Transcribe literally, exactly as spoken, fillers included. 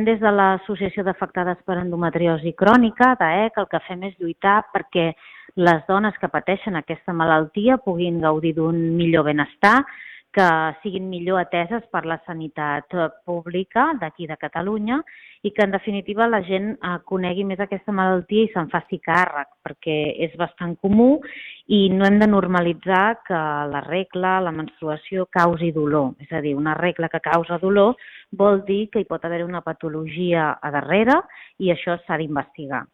Des de l'Associació d'Afectades per Endometriosi Crònica, d'A E C, el que fem és lluitar perquè les dones que pateixen aquesta malaltia puguin gaudir d'un millor benestar, que siguin millor ateses per la sanitat pública d'aquí de Catalunya i que, en definitiva, la gent conegui més aquesta malaltia i se'n faci càrrec, perquè és bastant comú i no hem de normalitzar que la regla, la menstruació, causi dolor. És a dir, una regla que causa dolor vol dir que hi pot haver una patologia a darrere i això s'ha d'investigar.